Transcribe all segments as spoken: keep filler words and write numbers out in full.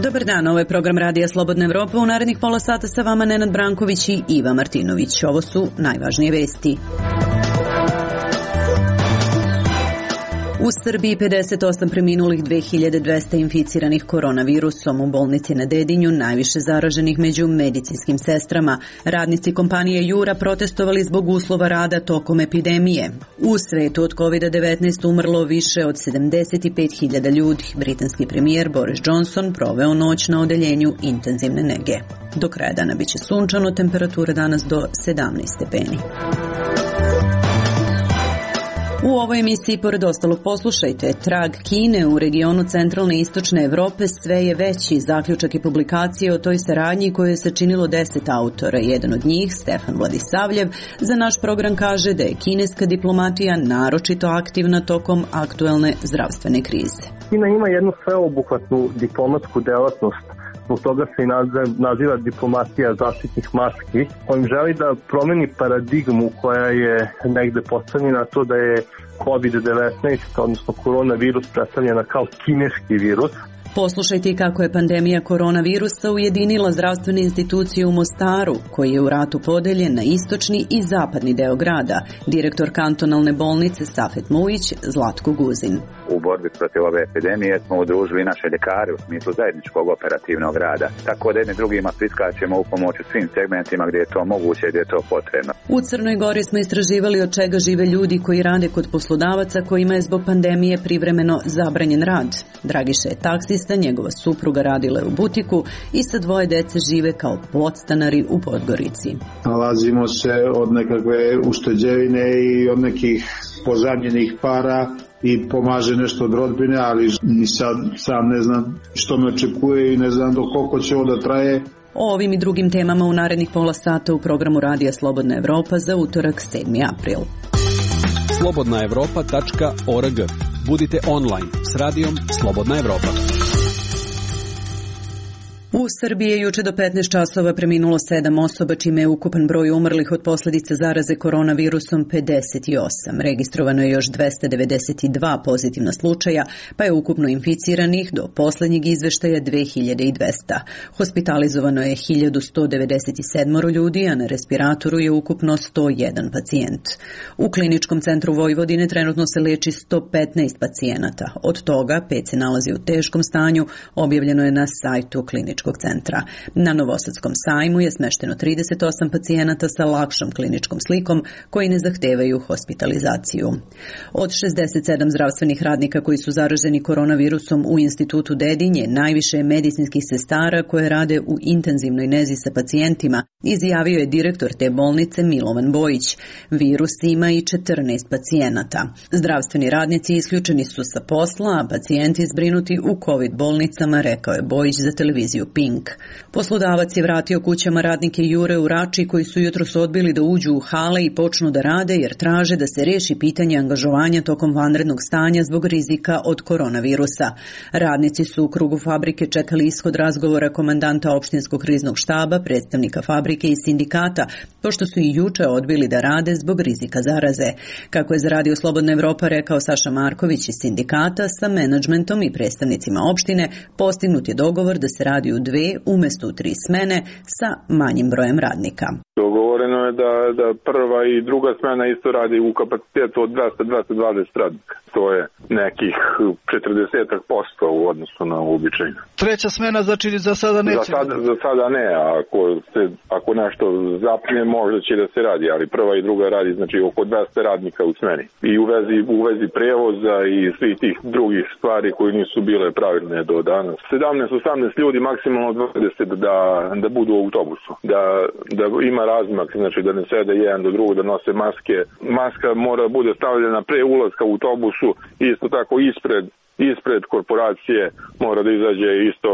Dobar dan, ovo je program Radija Slobodna Evropa. U narednih pola sata sa vama Nenad Branković i Iva Martinović. Ovo su najvažnije vesti. U Srbiji pedeset osam preminulih, dve hiljade dvesta inficiranih koronavirusom. U bolnici na Dedinju najviše zaraženih među medicinskim sestrama. Radnici kompanije Jura protestovali zbog uslova rada tokom epidemije. U svetu od kovid devetnaest umrlo više od sedamdeset pet hiljada ljudi. Britanski premijer Boris Johnson proveo noć na odeljenju intenzivne nege. Do kraja dana biće sunčano, temperatura danas do sedamnaest stepeni. U ovoj emisiji, pored ostalog, poslušajte. Trag Kine u regionu centralne i istočne Evrope sve je veći. Zaključak i publikacije o toj saradnji koju je sačinilo deset autora. Jedan od njih, Stefan Vladisavljev, za naš program kaže da je kineska diplomatija naročito aktivna tokom aktuelne zdravstvene krize. Kina ima jednu sveobuhvatnu diplomatsku delatnost. Zbog toga se i naziva diplomatija zaštitnih maski, kojim želi da promeni paradigmu koja je negde postavljena to da je kovid devetnaest, odnosno koronavirus, predstavljena kao kineski virus. Poslušajte i kako je pandemija koronavirusa ujedinila zdravstvene institucije u Mostaru, koji je u ratu podeljen na istočni i zapadni deo grada. Direktor kantonalne bolnice Safet Mujić, Zlatko Guzin. U borbi protiv ove epidemije smo udružili naše ljekare u smislu zajedničkog operativnog rada. Tako da jedni drugima priskačemo u pomoć u svim segmentima gdje je to moguće i gdje je to potrebno. U Crnoj Gori smo istraživali od čega žive ljudi koji rade kod poslodavaca kojima je zbog pandemije privremeno zabranjen rad. Dragiša je taksista, njegova supruga radila je u butiku i sa dvoje dece žive kao podstanari u Podgorici. Nalazimo se od nekakve ušteđevine i od nekih pozajmljenih para i pomaže nešto od rodbine, ali ni sad sam ne znam što me očekuje i ne znam do koliko će ovo da traje. O ovim i drugim temama u narednih pola sata u programu Radija Slobodna Evropa za utorak sedmi april. slobodna evropa tačka org. Budite online s radijom Slobodna Evropa. U Srbiji je juče do petnaest časova preminulo sedam osoba, čime je ukupan broj umrlih od posljedica zaraze koronavirusom pedeset osam. Registrovano je još dvesta devedeset dva pozitivna slučaja, pa je ukupno inficiranih do posljednjeg izveštaja dve hiljade dvesta. Hospitalizovano je hiljadu sto devedeset sedam ljudi, a na respiratoru je ukupno sto jedan pacijent. U kliničkom centru Vojvodine trenutno se leči sto petnaest pacijenata. Od toga pet se nalazi u teškom stanju, objavljeno je na sajtu kliničkog centra. Na Novosadskom sajmu je smešteno trideset osam pacijenata sa lakšom kliničkom slikom koji ne zahtevaju hospitalizaciju. Od šezdeset sedam zdravstvenih radnika koji su zaraženi koronavirusom u institutu Dedinje, najviše je medicinskih sestara koje rade u intenzivnoj nezi sa pacijentima, izjavio je direktor te bolnice Milovan Bojić. Virus ima i četrnaest pacijenata. Zdravstveni radnici isključeni su sa posla, a pacijenti zbrinuti u COVID bolnicama, rekao je Bojić za televiziju Pink. Poslodavac je vratio kućama radnike Jure u Rači koji su jutros odbili da uđu u hale i počnu da rade jer traže da se reši pitanje angažovanja tokom vanrednog stanja zbog rizika od koronavirusa. Radnici su u krugu fabrike čekali ishod razgovora komandanta opštinskog kriznog štaba, predstavnika fabrike i sindikata, pošto su i juče odbili da rade zbog rizika zaraze. Kako je za Radio Slobodna Evropa rekao Saša Marković iz sindikata, sa menadžmentom i predstavnicima opštine postignut je dogovor da se radi u dve umjesto u tri smene sa manjim brojem radnika. Dogovoreno je da, da prva i druga smena isto radi u kapacitetu od dvesta do dvesta dvadeset radnika. To je nekih četrdeset posto u odnosu na uobičajno. Treća smena znači za sada neće? Za sada, za sada ne, a ako, se, ako nešto zapne možda će da se radi, ali prva i druga radi znači oko dvesta radnika u smeni. I u vezi, u vezi prevoza i svih tih drugih stvari koje nisu bile pravilne do danas. sedamnaest osamnaest ljudi, maksimalno dvadeset da, da budu u autobusu. Da, da ima razmak, znači da ne sede jedan do drugog, da nose maske. Maska mora bude stavljena pre ulaska u autobusu, isto tako ispred ispred korporacije mora da izađe isto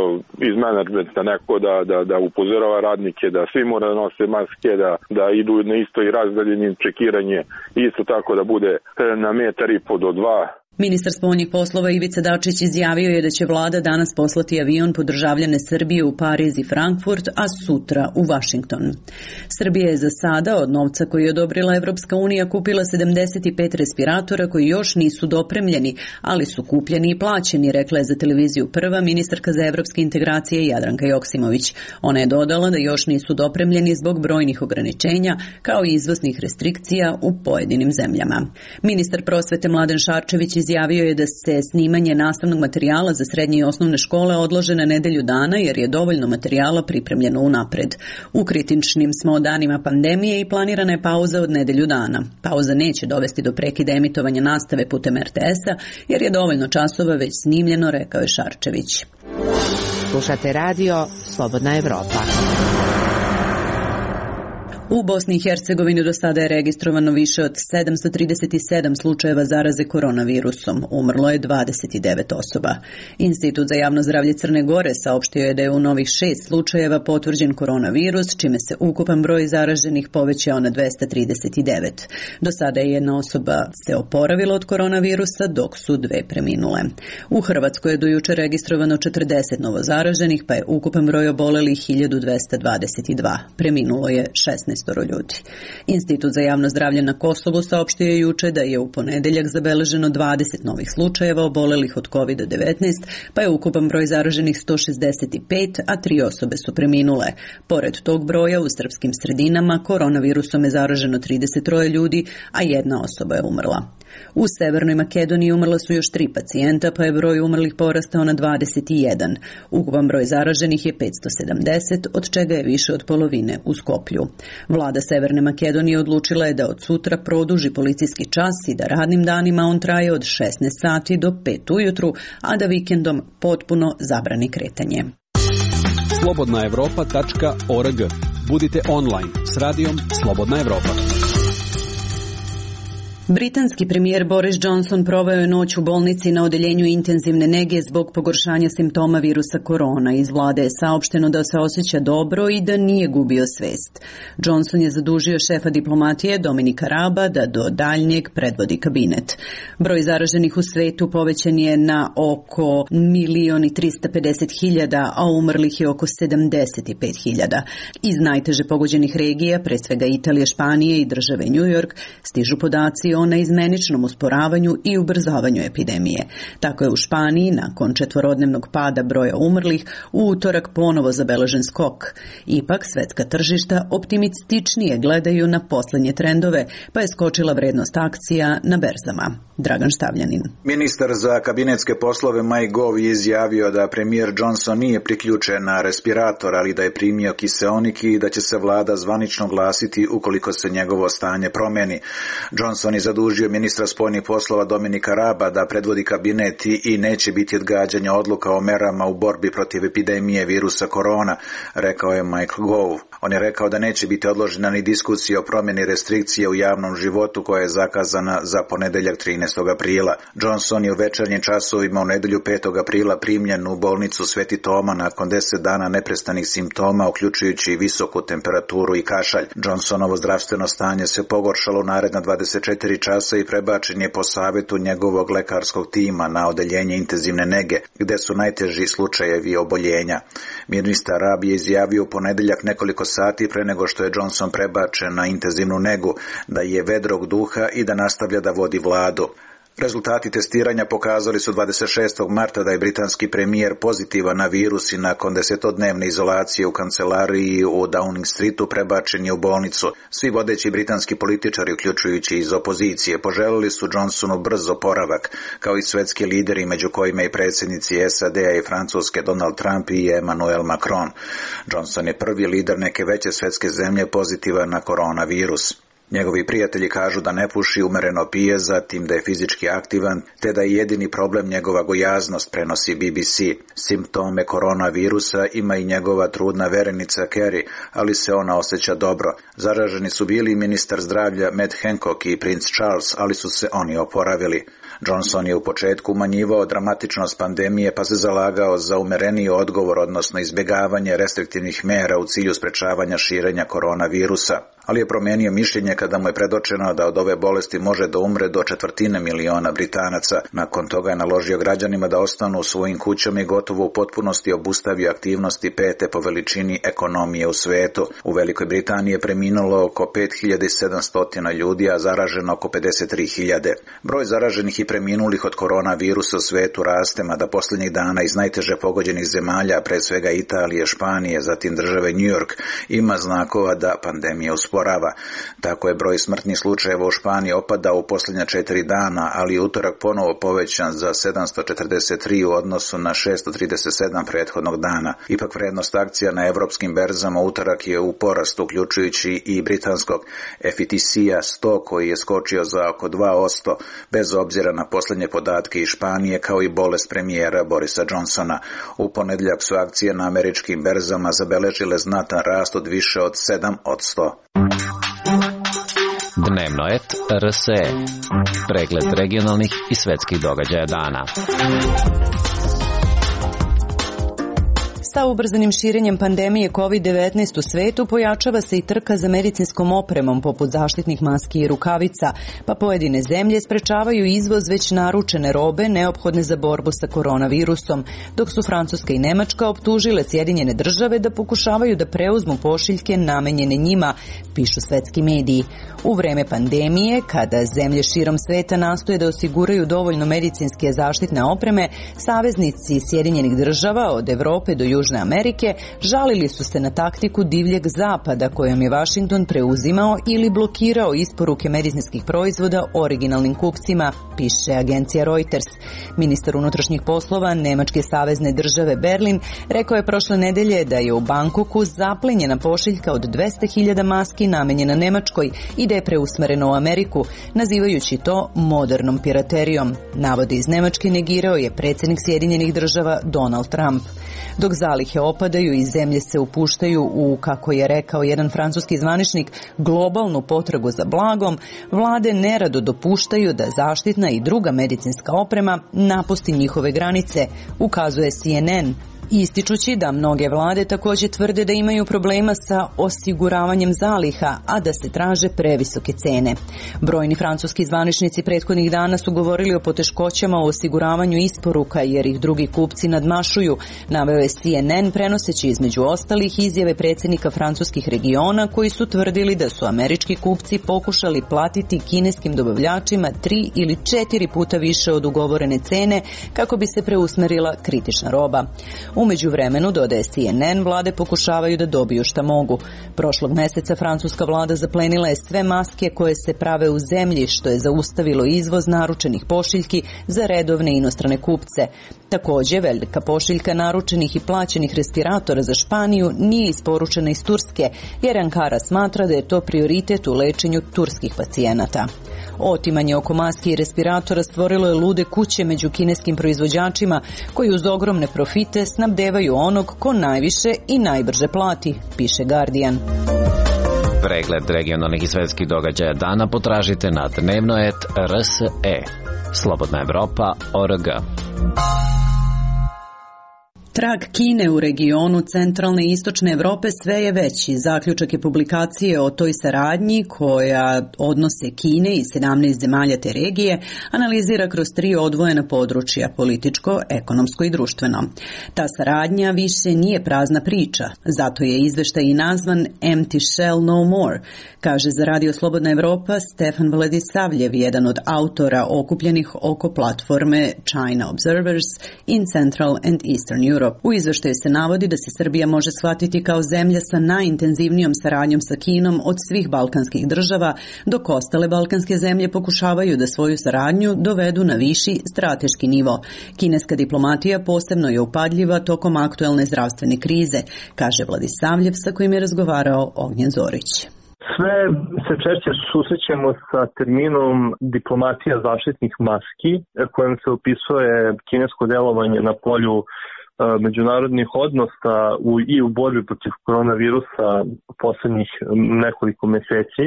iz menadžmenta neko da, da, da upozorava radnike, da svi mora da nose maske, da, da idu na isto i razdaljeni čekiranje, isto tako da bude na metar i po do dva. Ministar spoljnih poslova Ivica Dačić izjavio je da će vlada danas poslati avion po državljane Srbije u Pariz i Frankfurt, a sutra u Vašington. Srbija je za sada od novca koji je odobrila Evropska unija kupila sedamdeset pet respiratora koji još nisu dopremljeni, ali su kupljeni i plaćeni, rekla je za televiziju Prva ministarka za evropske integracije Jadranka Joksimović. Ona je dodala da još nisu dopremljeni zbog brojnih ograničenja kao i izvoznih restrikcija u pojedinim zemljama. Ministar prosvete Mladen Šarčević izjavio je da se snimanje nastavnog materijala za srednje i osnovne škole odlože na nedelju dana jer je dovoljno materijala pripremljeno unapred. U kritičnim smo danima pandemije i planirana je pauza od nedelju dana. Pauza neće dovesti do prekida emitovanja nastave putem er te es-a jer je dovoljno časova već snimljeno, rekao je Šarčević. Slušate radio Slobodna Evropa. U Bosni i Hercegovini do sada je registrovano više od sedamsto trideset sedam slučajeva zaraze koronavirusom. Umrlo je dvadeset devet osoba. Institut za javno zdravlje Crne Gore saopštio je da je u novih šest slučajeva potvrđen koronavirus, čime se ukupan broj zaraženih povećao na dvesta trideset devet. Do sada je jedna osoba se oporavila od koronavirusa, dok su dve preminule. U Hrvatskoj je do juče registrovano četrdeset novo zaraženih, pa je ukupan broj obolelih hiljadu dvesta dvadeset dva. Preminulo je šesnaest ljudi. Institut za javno zdravlje na Kosovu saopštio je juče da je u ponedeljak zabeleženo dvadeset novih slučajeva obolelih od kovid devetnaest, pa je ukupan broj zaraženih sto šezdeset pet, a tri osobe su preminule. Pored tog broja u srpskim sredinama koronavirusom je zaraženo trideset tri ljudi, a jedna osoba je umrla. U Severnoj Makedoniji umrla su još tri pacijenta, pa je broj umrlih porastao na dvadeset jedan. Ukupan broj zaraženih je petsto sedamdeset, od čega je više od polovine u Skoplju. Vlada Severne Makedonije odlučila je da od sutra produži policijski čas i da radnim danima on traje od šesnaest sati do pet ujutru, a da vikendom potpuno zabrani kretanje. slobodna evropa tačka org. Budite online s radijom Slobodna Evropa. Britanski premijer Boris Johnson proveo je noć u bolnici na odeljenju intenzivne nege zbog pogoršanja simptoma virusa korona. Iz vlade je saopšteno da se osjeća dobro i da nije gubio svest. Johnson je zadužio šefa diplomatije Dominika Raba da do daljnjeg predvodi kabinet. Broj zaraženih u svetu povećan je na oko milion i trista pedeset hiljada, a umrlih je oko sedamdeset pet hiljada. Iz najteže pogođenih regija, pre svega Italije, Španije i države New York, stižu podaci o neizmeničnom usporavanju i ubrzavanju epidemije. Tako je u Španiji, nakon četvorodnevnog pada broja umrlih, u utorak ponovo zabeležen skok. Ipak, svetska tržišta optimističnije gledaju na poslednje trendove, pa je skočila vrednost akcija na berzama. Dragan Štavljanin. Ministar za kabinetske poslove Mike Gove je izjavio da premijer Johnson nije priključen na respirator, ali da je primio kiseonik i da će se vlada zvanično glasiti ukoliko se njegovo stanje promeni. Johnson je zadužio ministra spoljnih poslova Dominika Raba da predvodi kabinet i neće biti odgađanja odluka o merama u borbi protiv epidemije virusa korona, rekao je Mike Gove. On je rekao da neće biti odložena ni diskusija o promjeni restrikcije u javnom životu koja je zakazana za ponedeljak trinaestog aprila. Johnson je u večernjim časovima u nedelju petog aprila primljen u bolnicu Sveti Toma nakon deset dana neprestanih simptoma, uključujući visoku temperaturu i kašalj. Johnsonovo zdravstveno stanje se pogoršalo u naredna dvadeset četiri časa i prebačen je po savjetu njegovog lekarskog tima na odeljenje intenzivne nege, gde su najteži slučajevi oboljenja. Ministar Rab je izjavio u ponedeljak nekoliko sati pre nego što je Johnson prebačen na intenzivnu negu, da je vedrog duha i da nastavlja da vodi vladu. Rezultati testiranja pokazali su dvadeset šestog marta da je britanski premijer pozitivan na virus i nakon desetodnevne izolacije u kancelariji u Downing Streetu prebačen je u bolnicu. Svi vodeći britanski političari, uključujući iz opozicije, poželili su Johnsonu brz oporavak, kao i svetski lideri, među kojima i predsjednici es a de a i Francuske Donald Trump i Emmanuel Macron. Johnson je prvi lider neke veće svetske zemlje pozitivan na koronavirus. Njegovi prijatelji kažu da ne puši, umereno pije, zatim da je fizički aktivan, te da je jedini problem njegova gojaznost, prenosi B B C. Simptome koronavirusa ima i njegova trudna verenica Carrie, ali se ona osjeća dobro. Zaraženi su bili ministar zdravlja Matt Hancock i princ Charles, ali su se oni oporavili. Johnson je u početku umanjivao dramatičnost pandemije pa se zalagao za umereniji odgovor, odnosno izbjegavanje restriktivnih mera u cilju sprečavanja širenja koronavirusa. Ali je promijenio mišljenje kada mu je predočeno da od ove bolesti može da umre do četvrtine miliona Britanaca. Nakon toga je naložio građanima da ostanu u svojim kućama i gotovo u potpunosti obustavio aktivnosti pete po veličini ekonomije u svetu. U Velikoj Britaniji je preminulo oko pet hiljada sedamsto ljudi, a zaraženo oko pedeset tri hiljade. Broj zaraženih i preminulih od koronavirusa u svetu raste, mada posljednjih dana iz najteže pogođenih zemalja, pre svega Italije, Španije, zatim države New York, ima znakova da pandemija usporava. Tako je broj smrtnih slučajeva u Španiji opadao u posljednja četiri dana, ali je utorak ponovo povećan za sedamsto četrdeset tri u odnosu na šessto trideset sedam prethodnog dana. Ipak vrednost akcija na evropskim berzama utorak je u porastu, uključujući i britanskog F T C-a sto koji je skočio za oko dva posto, bez obzira na posljednje podatke iz Španije kao i bolest premijera Borisa Johnsona. U ponedjeljak su akcije na američkim berzama zabeležile znatan rast od više od sedam posto. Dnevno et R S E. Pregled regionalnih i svetskih događaja dana. Sa ubrzanim širenjem pandemije kovid devetnaest u svetu pojačava se i trka za medicinskom opremom poput zaštitnih maski i rukavica, pa pojedine zemlje sprečavaju izvoz već naručene robe neophodne za borbu sa koronavirusom, dok su Francuska i Nemačka optužile Sjedinjene države da pokušavaju da preuzmu pošiljke namenjene njima, pišu svetski mediji. U vreme pandemije, kada zemlje širom sveta nastoje da osiguraju dovoljno medicinske zaštitne opreme, saveznici Sjedinjenih država od Evrope do Južne Amerike žalili su se na taktiku divljeg zapada kojom je Vašington preuzimao ili blokirao isporuke medicinskih proizvoda originalnim kupcima, piše agencija Reuters. Ministar unutrašnjih poslova Nemačke savezne države Berlin rekao je prošle nedelje da je u Bangkoku zaplenjena pošiljka od dvesta hiljada maski namenjena Nemačkoj i da je preusmereno u Ameriku, nazivajući to modernom piraterijom. Navode iz Nemačke negirao je predsjednik Sjedinjenih država Donald Trump. Dok zalihe opadaju i zemlje se upuštaju u, kako je rekao jedan francuski zvaničnik, globalnu potragu za blagom, vlade nerado dopuštaju da zaštitna i druga medicinska oprema napusti njihove granice, ukazuje C N N. Ističući da mnoge vlade također tvrde da imaju problema sa osiguravanjem zaliha, a da se traže previsoke cene. Brojni francuski zvaničnici prethodnih dana su govorili o poteškoćama u osiguravanju isporuka jer ih drugi kupci nadmašuju, naveo je C N N prenoseći između ostalih izjave predsjednika francuskih regiona koji su tvrdili da su američki kupci pokušali platiti kineskim dobavljačima tri ili četiri puta više od ugovorene cene kako bi se preusmerila kritična roba. U međuvremenu, dodaje C N N, vlade pokušavaju da dobiju šta mogu. Prošlog mjeseca francuska vlada zaplenila je sve maske koje se prave u zemlji, što je zaustavilo izvoz naručenih pošiljki za redovne inostrane kupce. Također, velika pošiljka naručenih i plaćenih respiratora za Španiju nije isporučena iz Turske, jer Ankara smatra da je to prioritet u lečenju turskih pacijenata. Otimanje oko maski i respiratora stvorilo je lude kuće među kineskim proizvođačima koji uz ogromne profite snabdevaju onog ko najviše i najbrže plati, piše Guardian. Pregled regionalnih i svetskih događaja dana potražite na dnevno et R S E. Slobodna Evropa, O R G. Trag Kine u regionu centralne i istočne Evrope sve je veći. Zaključak je publikacije o toj saradnji koja odnose Kine i sedamnaest zemalja te regije analizira kroz tri odvojena područja, političko, ekonomsko i društveno. Ta saradnja više nije prazna priča, zato je izveštaj i nazvan Empty Shell No More, kaže za Radio Slobodna Evropa Stefan Vladisavljev, jedan od autora okupljenih oko platforme China Observers in Central and Eastern Europe. U izveštaju se navodi da se Srbija može shvatiti kao zemlja sa najintenzivnijom saradnjom sa Kinom od svih balkanskih država, dok ostale balkanske zemlje pokušavaju da svoju saradnju dovedu na viši strateški nivo. Kineska diplomatija posebno je upadljiva tokom aktuelne zdravstvene krize, kaže Vladisavljev sa kojim je razgovarao Ognjen Zorić. Sve se češće susrećemo sa terminom diplomatija zaštitnih maski, kojim se opisuje kinesko delovanje na polju međunarodnih odnosa u, i u borbi protiv koronavirusa poslednjih nekoliko meseci.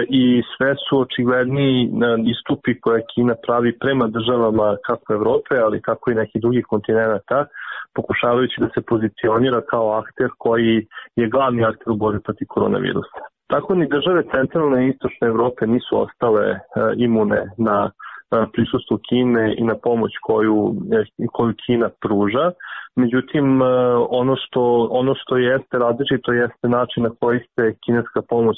i sve su očigledniji istupi koje Kina pravi prema državama kako Evrope, ali kako i nekih drugih kontinenta, pokušavajući da se pozicionira kao akter koji je glavni akter u borbi protiv koronavirusa. Tako ni države centralne i istočne Evrope nisu ostale imune na prisustvo Kine i na pomoć koju, koju Kina pruža. Međutim, ono što, ono što jeste različito jeste način na koji se kineska pomoć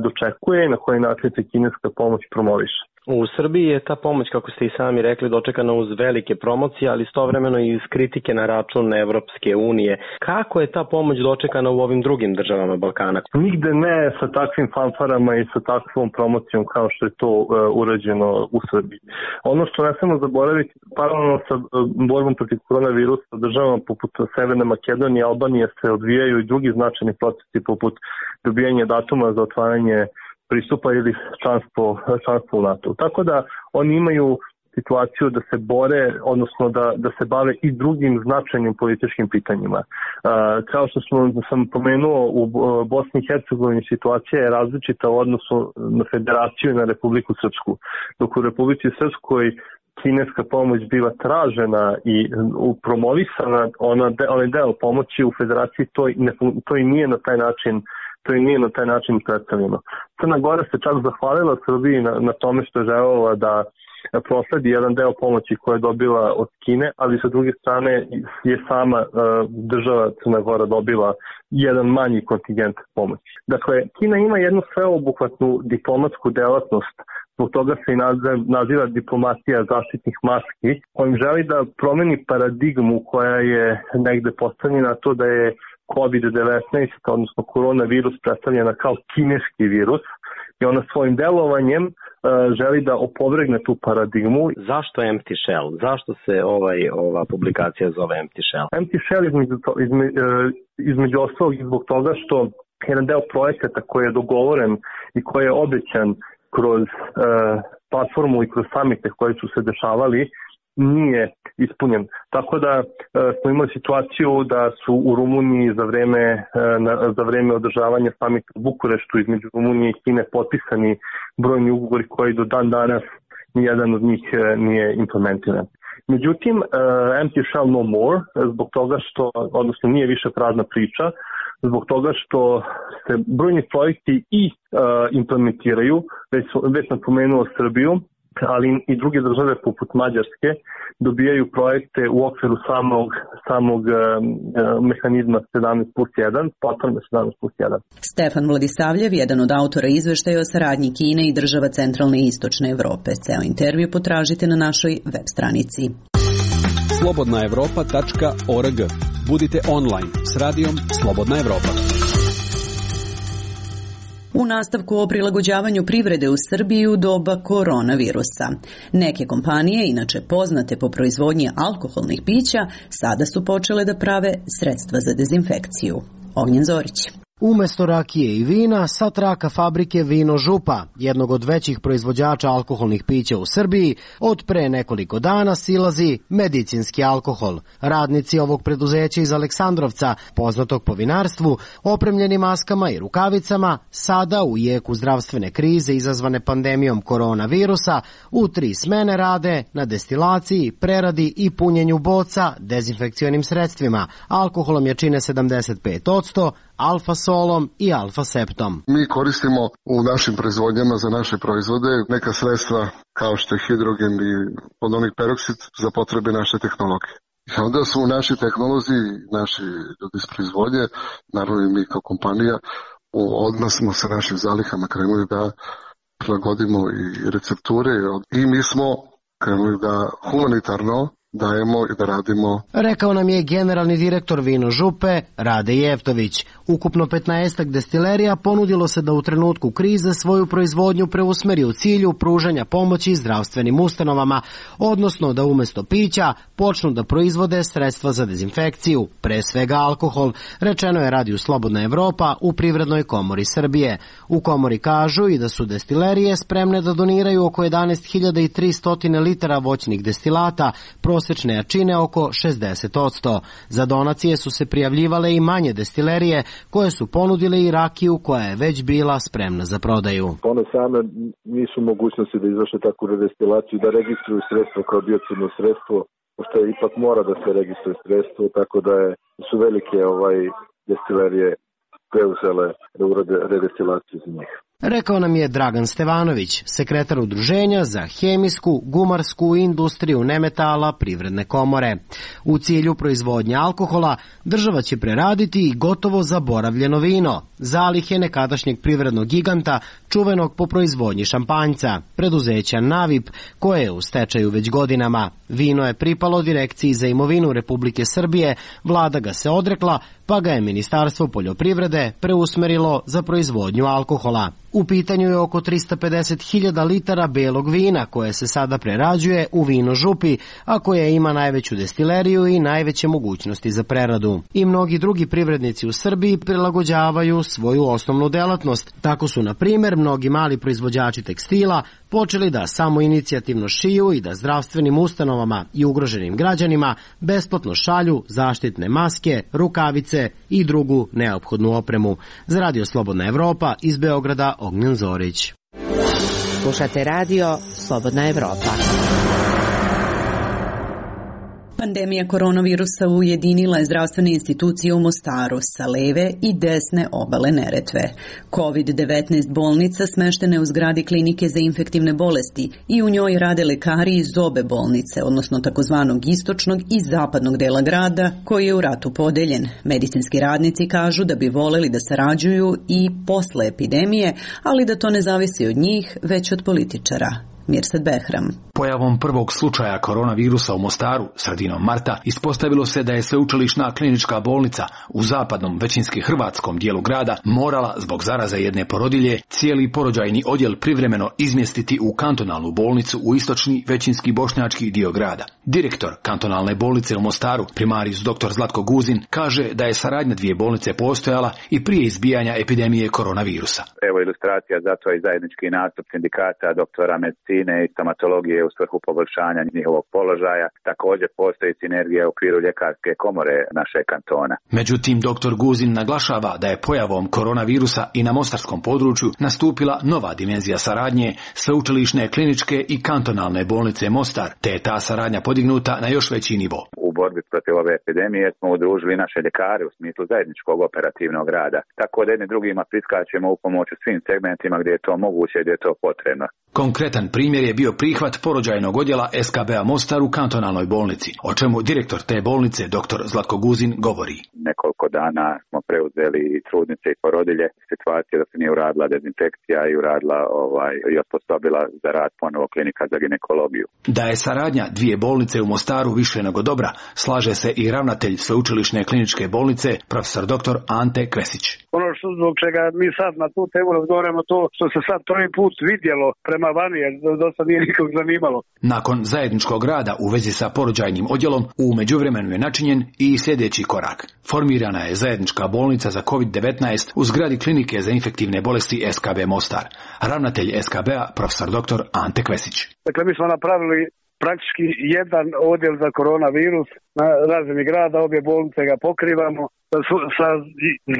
dočekuje i na koji način se kineska pomoć promoviše. U Srbiji je ta pomoć, kako ste i sami rekli, dočekana uz velike promocije, ali istovremeno i iz kritike na račun Evropske unije. Kako je ta pomoć dočekana u ovim drugim državama Balkana? Nigde ne sa takvim fanfarama i sa takvom promocijom kao što je to uh, urađeno u Srbiji. Ono što ne smemo zaboraviti, paralelno sa uh, borbom protiv koronavirusa, državama poput Severne Makedonije i Albanije se odvijaju i drugi značajni procesi poput dobijanja datuma za otvaranje pristupa ili članstvo, članstvo u NATO. Tako da oni imaju situaciju da se bore, odnosno da, da se bave i drugim značajnim političkim pitanjima. Uh, kao što smo, sam pomenuo, u Bosni i Hercegovini situacija je različita u odnosu na Federaciju i na Republiku Srpsku. Dok u Republici Srpskoj kineska pomoć bila tražena i promovisana, ona de, onaj deo pomoći u Federaciji to, ne, to i nije na taj način to i nije na taj način predstavljeno. Crna Gora se čak zahvalila Srbiji na, na tome što je želela da prosledi jedan deo pomoći koje je dobila od Kine, ali sa druge strane je sama uh, država Crna Gora dobila jedan manji kontingent pomoći. Dakle, Kina ima jednu sveobuhvatnu diplomatsku delatnost, zbog toga se i naziva, naziva diplomatija zaštitnih maski, kojim želi da promeni paradigmu koja je negde postavljena to da je kovid devetnaest, odnosno koronavirus, predstavljena kao kineski virus i ona svojim delovanjem uh, želi da opovrgne tu paradigmu. Zašto Empty Shell? Zašto se ovaj, ova publikacija zove Empty Shell? Empty Shell između, izme, između ostalog i zbog toga što jedan deo projekata koji je dogovoren i koji je obećan kroz uh, platformu i kroz samite koji su se dešavali nije ispunjen. Tako da e, smo imali situaciju da su u Rumuniji za vreme, e, na, za vreme održavanja samita u Bukureštu između Rumunije i Kine potpisani brojni ugovori koji do dan danas nijedan od njih e, nije implementiran. Međutim, e, Empty Shell No More, zbog toga što, odnosno nije više prazna priča, zbog toga što se brojni projekti i e, implementiraju, već, već sam pomenuo Srbiju, ali i druge države poput Mađarske dobijaju projekte u okviru samog, samog uh, mehanizma sedamnaest plus jedan, platforme sedamnaest plus jedan. Stefan Vladisavljev, jedan od autora izveštaja o saradnji Kine i država centralne i istočne Evrope. Ceo intervju potražite na našoj web stranici. slobodna evropa tačka org. Budite online s radijom Slobodna Evropa. U nastavku o prilagođavanju privrede u Srbiji u doba koronavirusa. Neke kompanije, inače poznate po proizvodnji alkoholnih pića, sada su počele da prave sredstva za dezinfekciju. Ognjen Zorić. Umesto rakije i vina, sa traka fabrike Vino Župa, jednog od većih proizvođača alkoholnih pića u Srbiji, od pre nekoliko dana silazi medicinski alkohol. Radnici ovog preduzeća iz Aleksandrovca, poznatog po vinarstvu, opremljeni maskama i rukavicama, sada u jeku zdravstvene krize izazvane pandemijom koronavirusa, u tri smene rade na destilaciji, preradi i punjenju boca dezinfekcionim sredstvima. Alkoholom je čine sedamdeset pet posto, alfa-solom i alfa-septom. Mi koristimo u našim proizvodnjama za naše proizvode neka sredstva kao što je hidrogen i podonik peroksid za potrebe naše tehnologije. I onda su naši tehnolozi, naši ljudi iz proizvodnje, naravno i mi kao kompanija, odmah smo sa našim zalihama krenuli da prilagodimo i recepture i mi smo krenuli da humanitarno dajemo i da radimo. Rekao nam je generalni direktor Vino Župe, Rade Jeftović. Ukupno petnaestak destilerija ponudilo se da u trenutku krize svoju proizvodnju preusmeri u cilju pružanja pomoći zdravstvenim ustanovama, odnosno da umesto pića počnu da proizvode sredstva za dezinfekciju, pre svega alkohol, rečeno je Radiju Slobodna Evropa u Privrednoj komori Srbije. U komori kažu i da su destilerije spremne da doniraju oko jedanaest hiljada tristo litara voćnih destilata, prosečne jačine oko šezdeset posto. Za donacije su se prijavljivale i manje destilerije koje su ponudile i rakiju koja je već bila spremna za prodaju. One same nisu mogućnosti da izvrše takvu redestilaciju, da registruju sredstvo kao biocidno sredstvo, pošto ipak mora da se registruje sredstvo, tako da je, su velike ovaj, destilerije preuzele da urade redestilaciju za njih. Rekao nam je Dragan Stevanović, sekretar udruženja za hemijsku, gumarsku industriju nemetala Privredne komore. U cilju proizvodnje alkohola država će preraditi i gotovo zaboravljeno vino, zalihe nekadašnjeg privrednog giganta čuvenog po proizvodnji šampanjca, preduzeća Navip, koje je u stečaju već godinama. Vino je pripalo Direkciji za imovinu Republike Srbije, vlada ga se odrekla, pa ga je Ministarstvo poljoprivrede preusmerilo za proizvodnju alkohola. U pitanju je oko trista pedeset hiljada litara belog vina koje se sada prerađuje u Vino Župi, a koje ima najveću destileriju i najveće mogućnosti za preradu. I mnogi drugi privrednici u Srbiji prilagođavaju svoju osnovnu delatnost. Tako su, na primjer, mnogi mali proizvođači tekstila počeli da samo inicijativno šiju i da zdravstvenim ustanovama i ugroženim građanima besplatno šalju zaštitne maske, rukavice i drugu neophodnu opremu. Za Radio Slobodna Evropa iz Beograda Ognjen Zorić. Slušate radio Slobodna Evropa. Pandemija koronavirusa ujedinila je zdravstvene institucije u Mostaru sa leve i desne obale Neretve. kovid devetnaest bolnica smeštena je u zgradi klinike za infektivne bolesti i u njoj rade lekari iz obe bolnice, odnosno takozvanog istočnog i zapadnog dela grada, koji je u ratu podeljen. Medicinski radnici kažu da bi voleli da sarađuju i posle epidemije, ali da to ne zavisi od njih, već od političara. Mirsad Behram. Pojavom prvog slučaja koronavirusa u Mostaru sredinom marta ispostavilo se da je sveučilišna klinička bolnica u zapadnom, većinski hrvatskom dijelu grada morala zbog zaraze jedne porodilje cijeli porođajni odjel privremeno izmjestiti u kantonalnu bolnicu u istočni, većinski bošnjački dio grada. Direktor kantonalne bolnice u Mostaru, primarijus doktor Zlatko Guzin, kaže da je saradnja dvije bolnice postojala i prije izbijanja epidemije koronavirusa. Evo ilustracija za to i zajednički nastup sindikata doktora medicine i stomatologije u svrhu poboljšanja njihovog položaja. Također postoji sinergija u okviru ljekarske komore našeg kantona. Međutim, doktor Guzin naglašava da je pojavom koronavirusa i na mostarskom području nastupila nova dimenzija saradnje sveučilišne kliničke i kantonalne bolnice Mostar, te je ta saradnja podignuta na još veći nivo. U borbi protiv ove epidemije smo udružili naše ljekare u smislu zajedničkog operativnog rada, tako da jedni drugima priskačemo u pomoć u svim segmentima gdje je to moguće i gdje je to potrebno. Konkretan primjer je bio prihvat porođajnog odjela es ka be a Mostar u kantonalnoj bolnici, o čemu direktor te bolnice, doktor Zlatko Guzin, govori. Nekoliko dana smo preuzeli trudnice i porodilje, situacija da se nije uradila dezinfekcija i uradila ovaj, i osposobila za rad ponovo klinika za ginekologiju. Da je saradnja dvije bolnice u Mostaru više nego dobra, slaže se i ravnatelj sveučilišne kliničke bolnice, profesor doktor Ante Kvesić. Ono što zbog čega mi sad na tu temu razgovaramo, to što se sad prvi put vidjelo prema vani, jer dosta nije nikog zanimalo. Nakon zajedničkog rada u vezi sa porođajnim odjelom, u međuvremenu je načinjen i sljedeći korak. Formirana je zajednička bolnica za kovid devetnaest u zgradi klinike za infektivne bolesti es ka be Mostar. Ravnatelj es ka be a, profesor doktor Ante Kvesić. Dakle, mi smo napravili praktički jedan odjel za koronavirus na razini grada, obje bolnice ga pokrivamo sa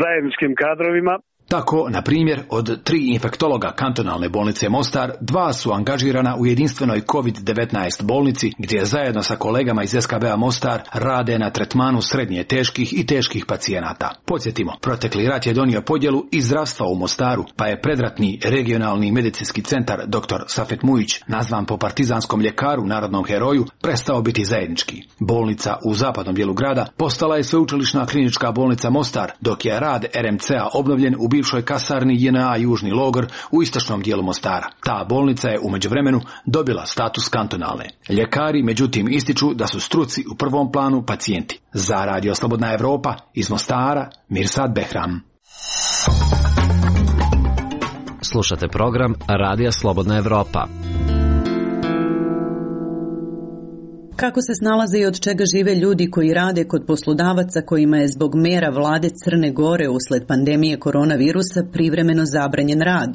zajedničkim kadrovima. Tako, na primjer, od tri infektologa kantonalne bolnice Mostar, dva su angažirana u jedinstvenoj kovid devetnaest bolnici, gdje zajedno sa kolegama iz es ka be a Mostar rade na tretmanu srednje teških i teških pacijenata. Podsjetimo, protekli rat je donio podjelu i zdravstva u Mostaru, pa je predratni regionalni medicinski centar doktor Safet Mujić, nazvan po partizanskom ljekaru, narodnom heroju, prestao biti zajednički. Bolnica u zapadnom dijelu grada postala je sveučilišna klinička bolnica Mostar, dok je rad er em ce a obnovljen u bivšoj kasarni je en a Južni logor u istočnom dijelu Mostara. Ta bolnica je u međuvremenu dobila status kantonalne. Ljekari međutim ističu da su struci u prvom planu pacijenti. Za Radio Slobodna Evropa iz Mostara, Mirsad Behram. Slušate program Radija Slobodna Evropa. Kako se snalaze i od čega žive ljudi koji rade kod poslodavaca kojima je zbog mera vlade Crne Gore usled pandemije koronavirusa privremeno zabranjen rad,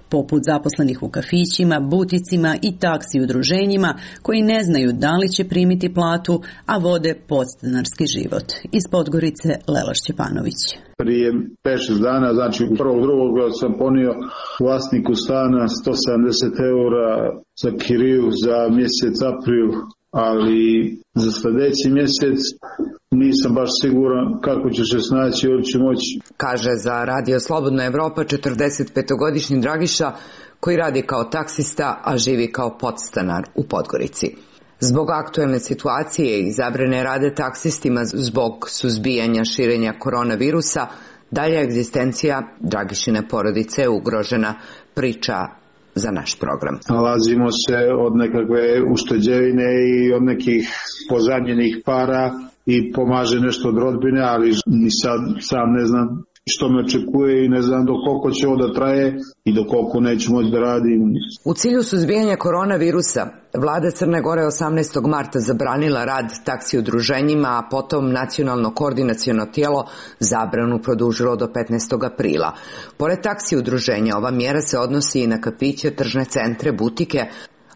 poput zaposlenih u kafićima, buticima i taksi udruženjima koji ne znaju da li će primiti platu, a vode podstanarski život. Iz Podgorice Lela Šćepanović. Prije pet šest dana, znači prvog drugog sam ponio vlasniku stana sto sedamdeset eura za kiriju za mjesec april, ali za sljedeći mjesec nisam baš siguran kako će se snaći, ili će moći. Kaže za Radio Slobodna Evropa četrdesetpetogodišnji Dragiša koji radi kao taksista, a živi kao podstanar u Podgorici. Zbog aktuelne situacije i zabrane rade taksistima zbog suzbijanja širenja koronavirusa, dalja egzistencija Dragišine porodice je ugrožena, priča za naš program. Nalazimo se od nekakve ušteđevine i od nekih pozadnjenih para i pomaže nešto od rodbine, ali ni sad sam ne znam što me očekuje i ne znam do koliko će ovo da traje i do koliko neću moći da radim. U cilju suzbijanja koronavirusa, vlada Crne Gore osamnaestog marta zabranila rad taksi udruženjima, a potom nacionalno koordinaciono tijelo zabranu produžilo do petnaestog aprila. Pored taksi udruženja, ova mjera se odnosi i na kafiće, tržne centre, butike,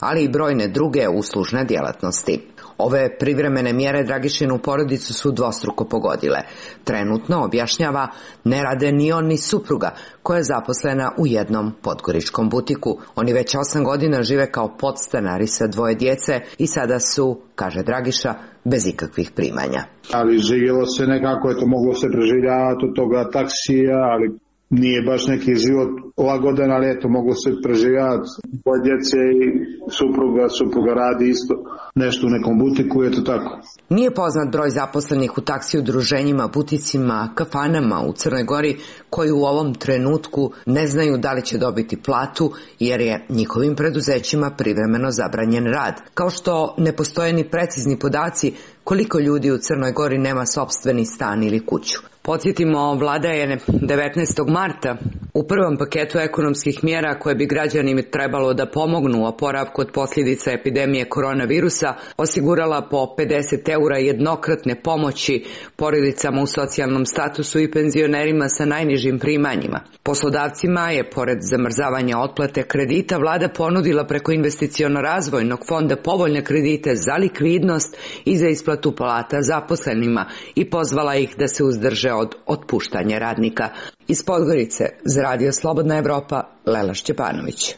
ali i brojne druge uslužne djelatnosti. Ove privremene mjere Dragišinu porodicu su dvostruko pogodile. Trenutno, objašnjava, ne rade ni on ni supruga, koja je zaposlena u jednom podgoričkom butiku. Oni već osam godina žive kao podstanari sa dvoje djece i sada su, kaže Dragiša, bez ikakvih primanja. Ali živjelo se nekako, je to moglo se preživljavati od toga taksija, ali nije baš neki život lagodan, ali eto, moglo se preživjavati. Dvoje djece i supruga, supruga radi isto nešto u nekom butiku, eto tako. Nije poznat broj zaposlenih u taksi udruženjima, buticima, kafanama u Crnoj Gori koji u ovom trenutku ne znaju da li će dobiti platu jer je njihovim preduzećima privremeno zabranjen rad. Kao što ne postoje ni precizni podaci koliko ljudi u Crnoj Gori nema sopstveni stan ili kuću. Podsjetimo, vlada je devetnaestog marta u prvom paketu ekonomskih mjera koje bi građanima trebalo da pomognu u oporavku od posljedica epidemije koronavirusa osigurala po pedeset eura jednokratne pomoći porodicama u socijalnom statusu i penzionerima sa najnižim primanjima. Poslodavcima je, pored zamrzavanja otplate kredita, vlada ponudila preko investiciono-razvojnog fonda povoljne kredite za likvidnost i za isplatu plata zaposlenima i pozvala ih da se uzdrže od otpuštanja radnika. Iz Podgorice za Radio Slobodna Evropa, Lela Šćepanović.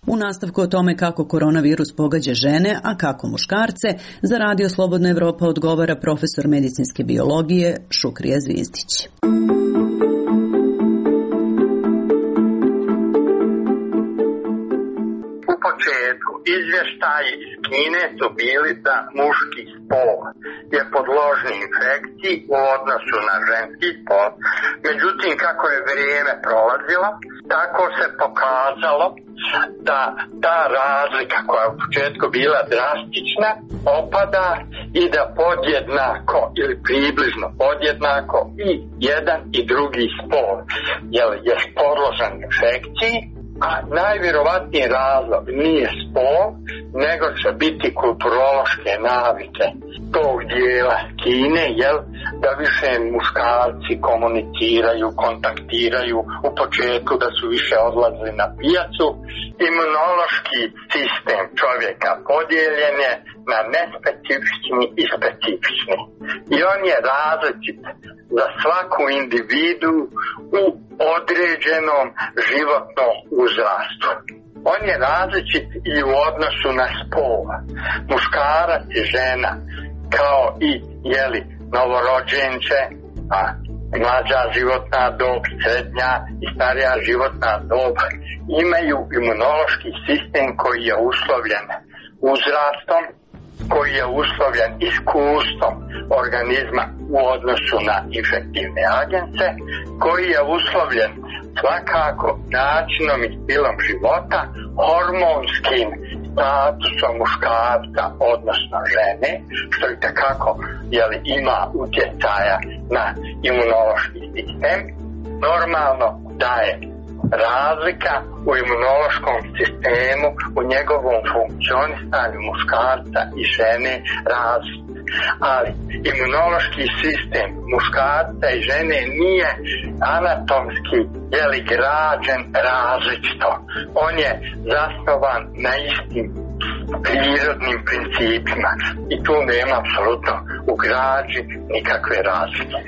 U nastavku o tome kako koronavirus pogađa žene, a kako muškarce, za Radio Slobodna Evropa odgovara profesor medicinske biologije Šukrija Zvizdić. U početku izvještaji iz Kine su bili da muški spol je podložni infekciji u odnosu na ženski spol. Međutim, kako je vrijeme prolazilo, tako se pokazalo da ta razlika koja je u početku bila drastična opada i da podjednako ili približno podjednako i jedan i drugi spol je podložan infekciji. A najvjerovatniji razlog nije spol, nego će biti kulturološke navike tog dijela Kine, jel, da više muškarci komuniciraju, kontaktiraju, u početku da su više odlazili na pijacu. Imunološki sistem čovjeka podijeljen je na nespecifični i specifični. I on je različit za svaku individu u određenom životnom uzrastu. On je različit i u odnosu na spol. Muškarac i žena, kao i jeli, novorođenče, a mlađa životna dob, srednja i starija životna dob, imaju imunološki sistem koji je uslovljen uzrastom, koji je uslovljen iskustvom organizma u odnosu na infektivne agence, koji je uslovljen svakako načinom i stilom života, hormonskim statusom muškarca, odnosno žene, što i takako jeli, ima utjecaja na imunološki sistem. Normalno da je razlika u imunološkom sistemu, u njegovom funkcionisanju muškarca i žene razlika. Ali imunološki sistem muškarca i žene nije anatomski jeli, građen različito. On je zasnovan na istim prirodnim principima i tu nema apsolutno u građi nikakve razlike.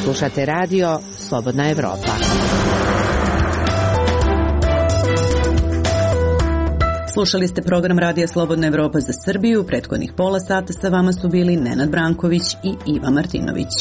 Slušate radio Slobodna Evropa. Slušali ste program Radija Slobodna Evropa za Srbiju. Prethodnih pola sata sa vama su bili Nenad Branković i Iva Martinović.